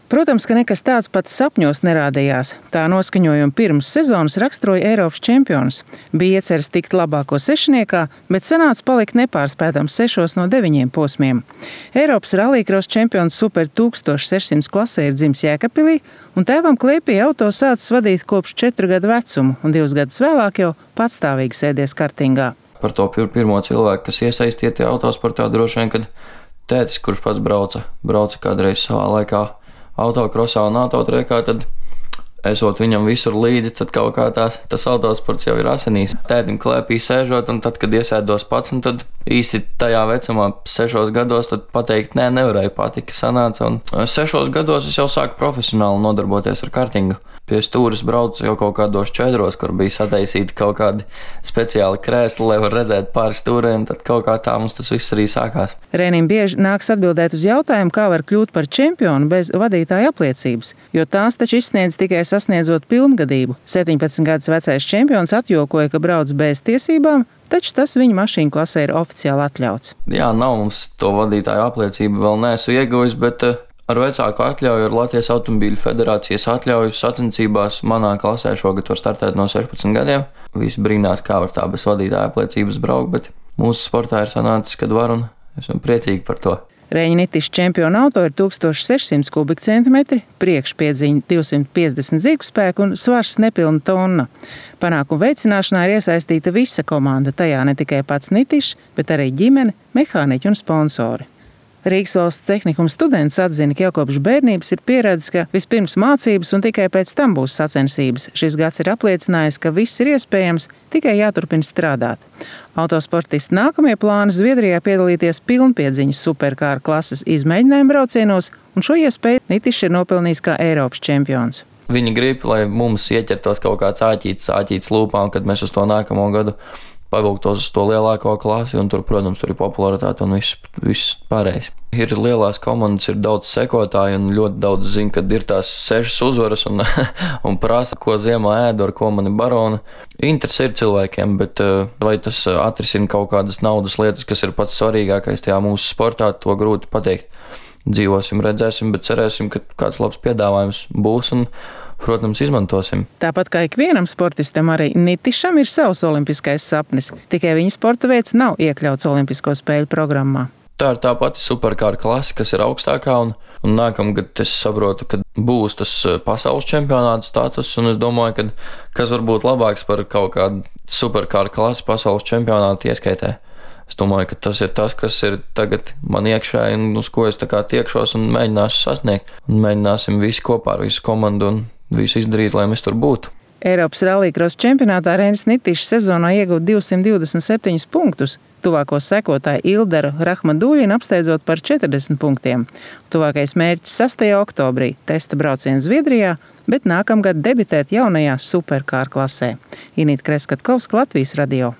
Protams, ka nekas tāds pats sapņos nerādījās. Tā noskaņojumu pirms sezonas raksturoja Eiropas čempions. Bija ieceres tikt labāko sešniekā, bet sanāca palikt nepārspētams 6 no 9 posmiem. Eiropas rallycross čempions Super 1600 klasē ir dzimis Jēkabpilī, un tēvam Klēpī auto sācis vadīt kopš 4 gadu vecumu, un 2 gadus vēlāk jau patstāvīgi sēdies kartingā. Par to pirmo cilvēku, kas iesaistīti autosportā, droši vien, kad tētis, kurš pats brauca kādreiz savā laikā autokrosā un autotrekā, tad esot viņam visur līdzi, tad kaut kā tas autosports jau ir asinīs. Tētim Klēpī sēžot, un tad, kad iesēdos pats, un tad īsti tajā vecumā 6 gados, tad pateikt, nevarēja patika sanāca, un 6 gados es jau sāku profesionāli nodarboties ar kartingu. Pie stūres braucu jau kaut kādos 4, kur bija sataisīti kaut kādi speciāli krēsli, lai var redzēt pāri stūrēm, tad kaut kā tā mums tas viss arī sākās. Renim bieži nāks atbildēt uz jautājumu, kā var kļūt par čempionu bez vadītāja apliecības, jo tās taču izsniedz tikai sasniedzot pilngadību. 17 gadus vecais čempions atjokoja, ka brauc bez tiesībām, taču tas viņa mašīnu klasē ir oficiāli atļauts. Jā, nav mums to vadītāju apliecību vēl neesmu ieguvis, bet ar vecāku atļauju, ar Latvijas automobīļu federācijas atļauju sacensībās manā klasē šogad var startēt no 16 gadiem. Visi brīnās, kā var tā bez vadītāja apliecības braukt, bet mūsu sportā ir sanācis, kad var, un esam priecīgi par to. Reņa Nitiša čempiona auto ir 1600 kubikcentimetri, priekšpiedziņa 250 zirgspēku un svars nepilna tonna. Panākumu veicināšanā ir iesaistīta visa komanda, tajā ne tikai pats Nitišs, bet arī ģimene, mehāniķi un sponsori. Rīgas valsts tehnikuma students atzina, ka jau kopš bērnības ir pieredzis, ka vispirms mācības un tikai pēc tam būs sacensības. Šis gads ir apliecinājis, ka viss ir iespējams, tikai jāturpina strādāt. Autosportisti nākamie plāni Zviedrijā piedalīties pilnpiedziņas superkāra klases izmēģinājumu braucienos, un šo iespēju Nitišs ir nopelnījis kā Eiropas čempions. Viņi grib, lai mums ieķertos kaut kāds āķītis lūpām, kad mēs uz to nākamo gadu pavilktos uz to lielāko klasi, un tur, protams, tur ir popularitāte un viss pārējais. Ir lielās komandas, ir daudz sekotāju, un ļoti daudz zina, kad ir tās 6 uzvaras un prasa, ko ziemā ēdu, ar ko mani barona. Interesi ir cilvēkiem, bet vai tas atrisina kaut kādas naudas lietas, kas ir pats svarīgākais tajā mūsu sportā, to grūti pateikt. Dzīvosim, redzēsim, bet cerēsim, ka kāds labs piedāvājums būs un, protams, izmantosim. Tāpat kā ikvienam sportistam, arī Nitišam ir savs olimpiskais sapnis. Tikai viņa sporta veids nav iekļauts Olimpisko spēļu programmā. Tā ir tā pati superkāra klase, kas ir augstākā, un nākamgad es saprotu, ka būs tas pasaules čempionāta status, un es domāju, ka kas var būt labāks par kaut kādu superkāra klasi pasaules čempionāta ieskaitē. Es domāju, ka tas ir tas, kas ir tagad man iekšā, un uz ko es tā kā tiekšos un mēģināšu sasniegt. Un mēģināsim visi kopā ar visu komandu un visu izdarīt, lai mēs tur būtu. Eiropas rallycross čempionātā Renis Nitišs sezonā iegūta 227 punktus, tuvāko sekotāju Ilderu Rahmaduļinu apsteidzot par 40 punktiem. Tuvākais mērķis 6. oktobrī – testa brauciens Zviedrijā, bet nākamgad debitēt jaunajā superkāra klasē. Inīta Kreskatkovska, Latvijas radio.